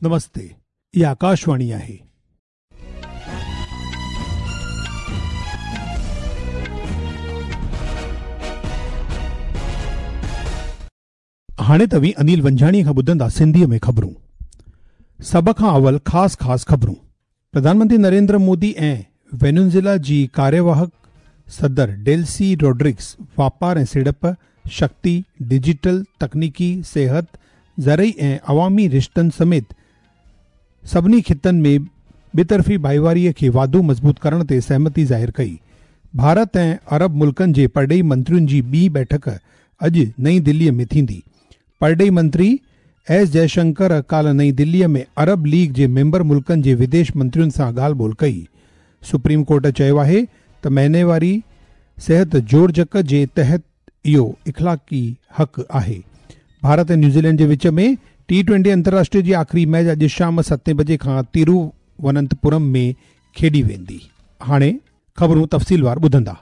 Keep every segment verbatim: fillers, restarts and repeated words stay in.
नमस्ते, इहा आकाशवाणी आहे। हाणे तव्हीं अनिल वंजाणीअ खां ॿुधंदा सिंधीअ में ख़बरूं। सभ खां अवल ख़ासि ख़ासि ख़बरूं। प्रधानमंत्री नरेंद्र मोदी ऐं वेनेज़ुएला जी कार्यवाहक सदर डेल्सी रोड्रिग्स वापार ऐं सीड़प, शक्ति, डिजिटल तकनीकी, सिहत, ज़रई ऐं अवामी रिश्तनि समेत सभिनी ख़ितनि में ॿितरफ़ी भाईवारीअ खे वाधू मज़बूत करण ते सहमति ज़ाहिर कई। भारत ऐं अरब मुल्कनि जे परॾेही मंत्रियुनि जी ॿी बैठक अॼु नई दिल्लीअ में थींदी। परॾेही मंत्री एस जयशंकर काल्ह नई दिल्लीअ में अरब लीग जे मेंबर मुल्कनि जे विदेश मंत्रियुनि सां ॻाल्हि ॿोल कई। सुप्रीम कोर्ट चयो आहे त महीने वारी सिहत जोड़जक जे तहत इहो इख़लाक़ी हक़ आहे। भारत ऐं न्यूज़ीलैंड जे विच में टी ट्वेंटी अंतर्राष्ट्रीय जी आख़िरी मैच अॼु शाम सतें बजे खां तिरुवनंतपुरम में खेॾी वेंदी। हाणे ख़बरूं तफ़सीलवार ॿुधंदा।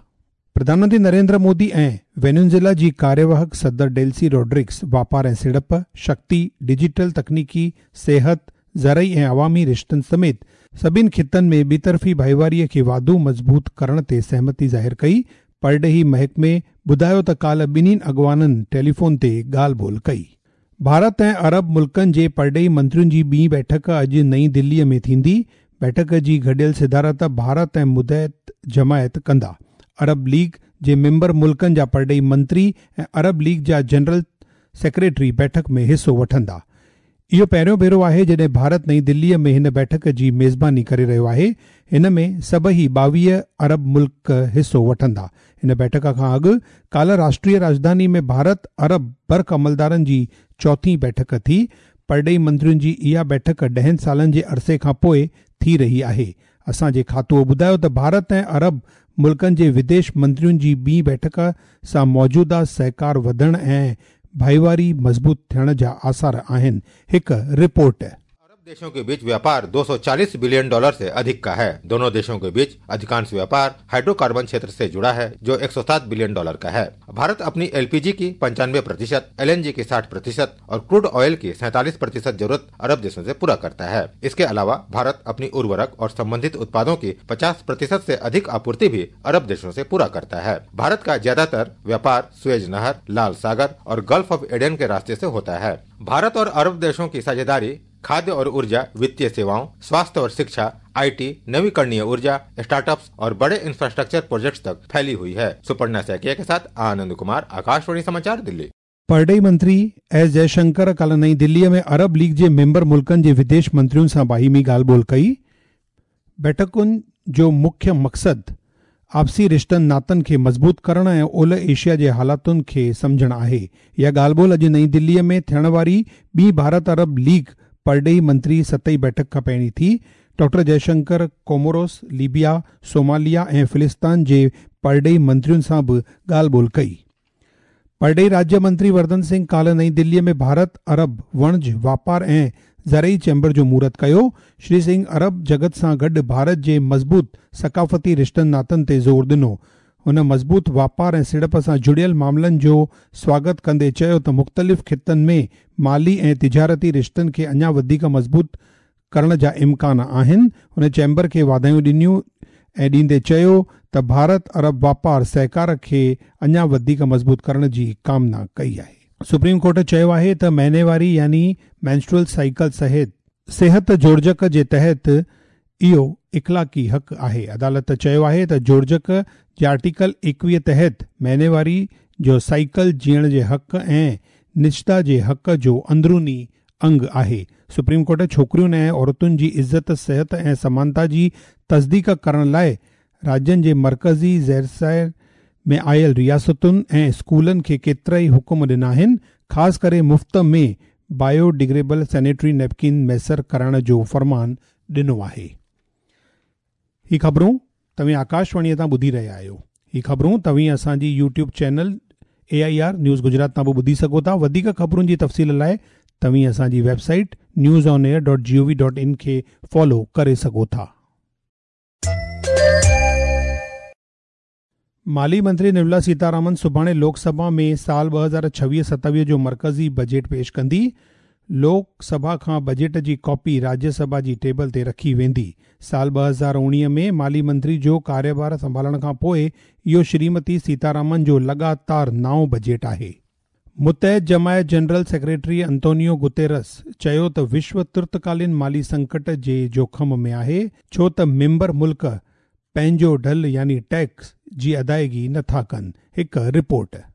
प्रधानमंत्री नरेंद्र मोदी ऐं वेनेज़ुएला जी कार्यवाहक सदर डेल्सी रोड्रिग्स वापार ऐं सीड़प, शक्ति, डिजिटल तकनीकी, सिहत, ज़रई ऐं अवामी रिश्तनि समेत सभिनी ख़ितनि में ॿितरफ़ी भाईवारीअ खे वाधू मज़बूत करण ते सहमति ज़ाहिर कई। परॾेही महकमे ॿुधायो त काल्ह ॿिन्हिनि अॻवाननि टेलीफोन ते ॻाल्हि ॿोल कई। भारत ऐं अरब मुल्कनि जे परॾेही मंत्रियुनि जी ॿी बैठक अॼु नई दिल्लीअ में थींदी। बैठक जी गॾियल सिदारत भारत ऐं मुतहिद जमायत कंदा। अरब लीग जे मेंबर मुल्कनि जा परॾेही मंत्री ऐं अरब लीग जा जनरल सेक्रेटरी बैठक में हिसो वठंदा। इहो पहिरियों भेरो आहे जॾहिं भारत नई दिल्लीअ में हिन बैठक जी मेज़बानी करे रहियो आहे। हिन में सभई ॿावीह अरब मुल्क हिसो वठंदा। हिन बैठक खां अॻु काल्ह राष्ट्रीय राजधानी में भारत अरब बर्क अमलदारनि जी चौथी बैठक थी। परॾेही मंत्रियुनि जी इहा बैठक ॾहनि सालनि जे अरसे खां पोइ थी रही आहे। असांजे खातो ॿुधायो त भारत ऐं अरब मुल्कनि जे विदेश मंत्रियुनि जी ॿी बैठक सां मौजूदा सहकार वधण ऐं भाईवारी मज़बूत थियण जा आसार आहिनि। हिकु रिपोर्ट। अरब देशों के बीच व्यापार दो सौ चालीस बिलियन डॉलर से अधिक का है। दोनों देशों के बीच अधिकांश व्यापार हाइड्रोकार्बन क्षेत्र से जुड़ा है, जो एक सौ सात बिलियन डॉलर का है। भारत अपनी एलपीजी की पंचानवे प्रतिशत, एलएनजी की साठ प्रतिशत और क्रूड ऑयल की सैंतालीस प्रतिशत जरूरत अरब देशों से पूरा करता है। इसके अलावा भारत अपनी उर्वरक और संबंधित उत्पादों की पचास प्रतिशत से अधिक आपूर्ति भी अरब देशों से पूरा करता है। भारत का ज्यादातर व्यापार सुएज नहर, लाल सागर और गल्फ ऑफ एडन के रास्ते से होता है। भारत और अरब देशों की साझेदारी खाद्य और ऊर्जा, वित्तीय सेवाओं, स्वास्थ्य और शिक्षा, IT, नवीकरणीय ऊर्जा, स्टार्टअप्स और बड़े इंफ्रास्ट्रक्चर प्रोजेक्ट्स तक फैली हुई है। सुपर्णा सैकिया के साथ आनंद कुमार, आकाशवाणी समाचार, दिल्ली। परॾेही मंत्री एस जयशंकर काल्ह नई दिल्लीअ में अरब लीग जे मेंबर मुल्कनि जे विदेश मंत्रियुनि सां बाहिमी ॻाल्हि ॿोल कई। बैठकुनि जो मुख्य मक़सदु आपसी रिश्तनि नातनि खे मज़बूत करण ऐं ओलह एशिया जे हालातुनि खे सम्झणु आहे। इहा ॻाल्हि ॿोल अॼु नई दिल्लीअ में थियण वारी ॿी भारत अरब लीग परॾेही मंत्री सतई बैठक खां पहिरीं थी। Doctor Jaishankar Comoros, Libya, Somalia ऐं फिलिस्तान जे परॾेही मंत्रियुनि सां बि ॻाल्हि ॿोल कई। परॾेही राज्य मंत्री वर्धन सिंह काल्ह नई दिल्लीअ में भारत अरब वणज, वापार ऐं ज़रई चैम्बर जो मुहूर्त कयो। श्री सिंह अरब जगत सां गॾु भारत जे मज़बूत सकाफ़ती रिश्तनि नातनि ते ज़ोर ॾिनो। हुन मज़बूत वापार ऐं सीड़प सां जुड़ियल मामलनि जो स्वागत कंदे चयो त मुख़्तलिफ़ ख़ितनि में माली ऐं तिजारती रिश्तनि खे अञा वधीक मज़बूत करण जा इम्कान आहिनि। हुन चैम्बर खे वाधायूं ॾिनियूं ऐं ॾींदे चयो त भारत अरब वापार सहकार खे अञा वधीक मज़बूत करण जी कामना कई आहे। सुप्रीम कोर्ट चयो आहे त महीने वारी यानी मेंस्ट्रुअल साइकिल सहित सिहत जोड़जक जे तहत इहो इख़लाक़ी हक़ आहे। अदालत चयो आहे त जोड़जक जे आर्टिकल एकवीह तहत महीने वारी जो साइकिल जीअण जे हक़ ऐं निजता जे हक़ जो अंदरूनी अंग आहे। सुप्रीम कोर्ट छोकिरियुनि ऐं औरतुनि जी इज़त, सिहत ऐं समानता जी तस्दीक करण लाइ राज्यनि जे मर्कज़ी ज़ेरसायर में आयल रियासतुनि ऐं स्कूलनि खे केतिरा ई हुकुम ॾिना आहिनि। ख़ासि करे मुफ़्त में बायोडिग्रेडेबल सैनिटरी नैपकिन मयसर कराइण जो फरमान ॾिनो आहे। ही ख़बरूं तव्हीं आकाशवाणीअ तां ॿुधी रहिया आहियो। ही ख़बरूं तव्हीं असांजी YouTube channel A I R news Gujarat तां बि ॿुधी सघो था। वधीक ख़बरुनि जी तफ़सील लाइ तव्हीं असांजी website news on air dot G O V dot in खे फॉलो करे सघो था। माली मंत्री निर्मला सीतारामन सुभाणे लोकसभा में साल ॿ हज़ार छवीह सतावीह जो मर्कज़ी बजट पेश कंदी। लोक सभा खां बजट जी कॉपी राज्यसभा जी टेबल ते रखी वेंदी। साल ॿ हज़ार उणिवीह में माली मंत्री जो कार्यभार संभालण खां पोइ इहो श्रीमती सीतारामन जो लगातार नाओं बजट आहे। मुतहद जमायत जनरल सेक्रेटरी अंतोनियो गुतेरस चयो त विश्व तुर्तकालीन माली संकट जे जोखम में आहे, छो त मेंबर मुल्क पंहिंजो ढल यानी टैक्स जी अदायगी नथा कनि। हिकु रिपोर्ट।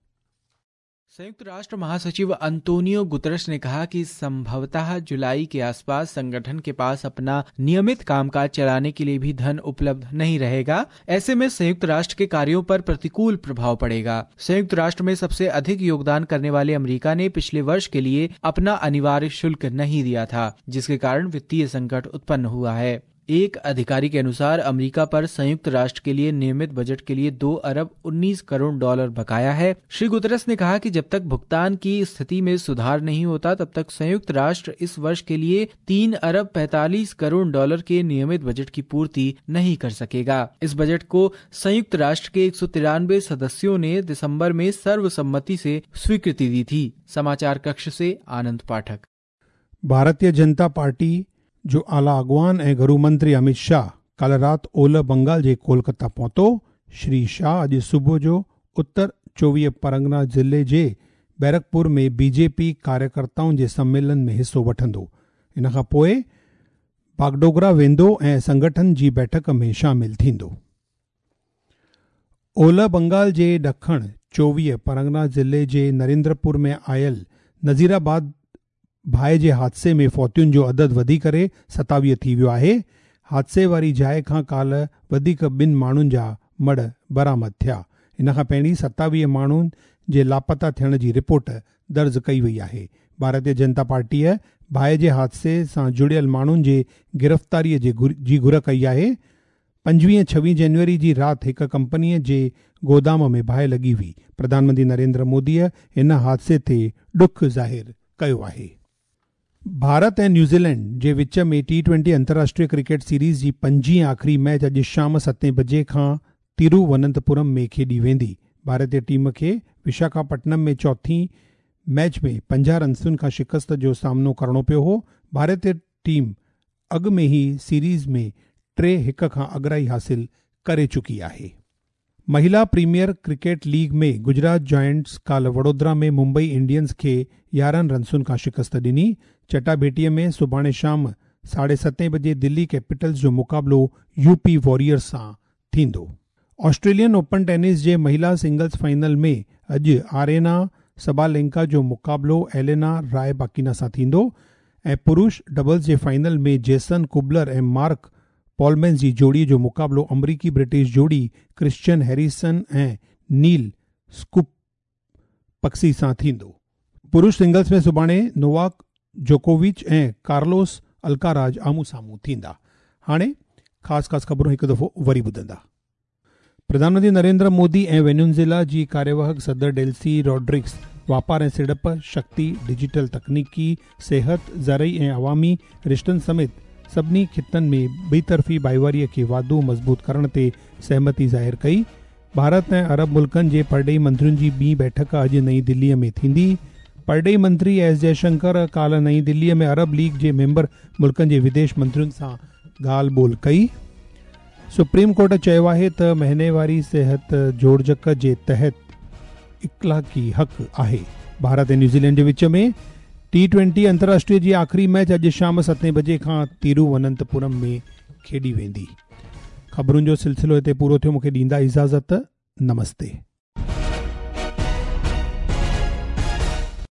संयुक्त राष्ट्र महासचिव अंतोनियो गुतरस ने कहा कि संभवतः जुलाई के आसपास संगठन के पास अपना नियमित कामकाज चलाने के लिए भी धन उपलब्ध नहीं रहेगा। ऐसे में संयुक्त राष्ट्र के कार्यों पर प्रतिकूल प्रभाव पड़ेगा। संयुक्त राष्ट्र में सबसे अधिक योगदान करने वाले अमेरिका ने पिछले वर्ष के लिए अपना अनिवार्य शुल्क नहीं दिया था, जिसके कारण वित्तीय संकट उत्पन्न हुआ है। एक अधिकारी के अनुसार अमेरिका पर संयुक्त राष्ट्र के लिए नियमित बजट के लिए दो अरब उन्नीस करोड़ डॉलर बकाया है। श्री गुतरस ने कहा कि जब तक भुगतान की स्थिति में सुधार नहीं होता तब तक संयुक्त राष्ट्र इस वर्ष के लिए तीन अरब पैंतालीस करोड़ डॉलर के नियमित बजट की पूर्ति नहीं कर सकेगा। इस बजट को संयुक्त राष्ट्र के एक सौ तिरानवे सदस्यों ने दिसंबर में सर्वसम्मति से स्वीकृति दी थी। समाचार कक्ष से आनंद पाठक। भारतीय जनता पार्टी जो आला अॻवान ऐं घरू मंत्री अमित शाह काल्ह राति ओलह बंगाल जे कोलकाता पहुतो। श्री शाह अॼु सुबुह जो उत्तर चोवीह परगना ज़िले जे बैरकपुर में बीजेपी कार्यकर्ताउनि जे सम्मेलन में हिसो वठंदो। इन खां पोइ बागडोगरा वेंदो ऐं संगठन जी बैठक में शामिल थींदो। ओलह बंगाल जे ॾखण चोवीह परगना ज़िले जे नरेंद्रपुर में आयल नज़ीराबाद बाहि जे हादसे में फौतियुनि जो अदद वधी करे सतावीह थी वियो आहे। हादसे वारी जाइ खां काल्ह वधीक ॿिनि माण्हुनि जा मड़ बरामद थिया। इन खां पहिरीं सतावीह माण्हुनि जे लापता थियण जी रिपोर्ट दर्ज कई वई आहे। भारतीय जनता पार्टीअ बाहि जे हादसे सां जुड़ियल माण्हुनि जे गिरफ़्तारीअ जी घुर कई आहे। पंजवीह छवीह जनवरी जी राति हिकु कंपनीअ जे गोदाम में बाहि लॻी हुई। प्रधानमंत्री नरेंद्र मोदीअ हिन हादसे ते ॾुख ज़ाहिर कयो आहे। भारत ऐं न्यूज़ीलैंड जे विच में टी ट्वेंटी अंतर्राष्ट्रीय क्रिकेट सीरीज़ जी पंजीं आख़िरी मैच अॼु शाम सतें बजे खां तिरुवनंतपुरम में खेॾी वेंदी। भारतीय टीम खे विशाखापट्टनम में चौथी मैच में पंजाह रनसुनि खां शिकस्त जो सामनो करिणो पियो हो। भारतीय टीम अॻु में ई सीरीज़ में टे हिकु खां अगराई हासिल करे चुकी आहे। महिला प्रीमियर क्रिकेट लीग में गुजरात जायंट्स काल्ह वडोदरा में मुंबई इंडियंस खे यारहं रनसुनि खां शिकस्त ॾिनी। चटाभेटीअ में सुभाणे शाम साढे सतें बजे दिल्ली कैपिटल्स जो मुक़ाबिलो यूपी वॉरियर्स सां थींदो। ऑस्ट्रेलियन ओपन टेनिस जे महिला सिंगल्स फाइनल में अॼु आरेना सबालेंका जो मुक़ाबिलो एलेना रायबाकिना सां थींदो ऐं पुरुष डबल्स जे फाइनल में जेसन कुबलर ऐं मार्क पॉलमैन जी जोड़ीअ जो मुक़ाबिलो अमरीकी ब्रिटिश जोड़ी क्रिश्चियन हैरिसन ऐं नील स्कूपक्सी सां थींदो। पुरुष सिंगल्स में सुभाणे नोवाक जोकोविच ऐं कार्लोस अल्काराज आम्हूं साम्हूं थींदा। हाणे ख़ासि ख़ासि ख़बरूं हिकु दफ़ो वरी ॿुधंदा। प्रधानमंत्री नरेंद्र मोदी ऐं वेनेज़ुएला जी कार्यवाहक सदर डेल्सी रॉड्रिक्स वापार ऐं सिड़प, शक्ति, डिजिटल तकनीकी, सिहत, ज़रई ऐं अवामी रिश्तनि समेत सभिनी ख़ितनि में ॿितरफ़ी भाईवारीअ खे वाधू मज़बूत करण ते सहमति ज़ाहिर कई। भारत ऐं अरब मुल्कनि जे परॾेही मंत्रियुनि जी ॿी बैठक अॼु नई दिल्लीअ में थींदी। परॾेही मंत्री एस जयशंकर काल्ह नई दिल्लीअ में अरब लीग जे मेंबर मुल्कनि जे विदेश मंत्रियुनि सां ॻाल्हि ॿोल कई। सुप्रीम कोर्ट चयो आहे त महीनेवारी सिहत जोड़जक जे तहत इख़लाक़ी हक़ आहे। भारत ऐं न्यूज़ीलैंड जे विच में टी ट्वेंटी अंतर्राष्ट्रीय जी आख़िरी मैच अॼु शाम सतें बजे खां तिरुवनंतपुरम में खेॾी वेंदी। ख़बरुनि जो सिलसिलो हिते पूरो थियो। मूंखे ॾींदा इजाज़त। नमस्ते।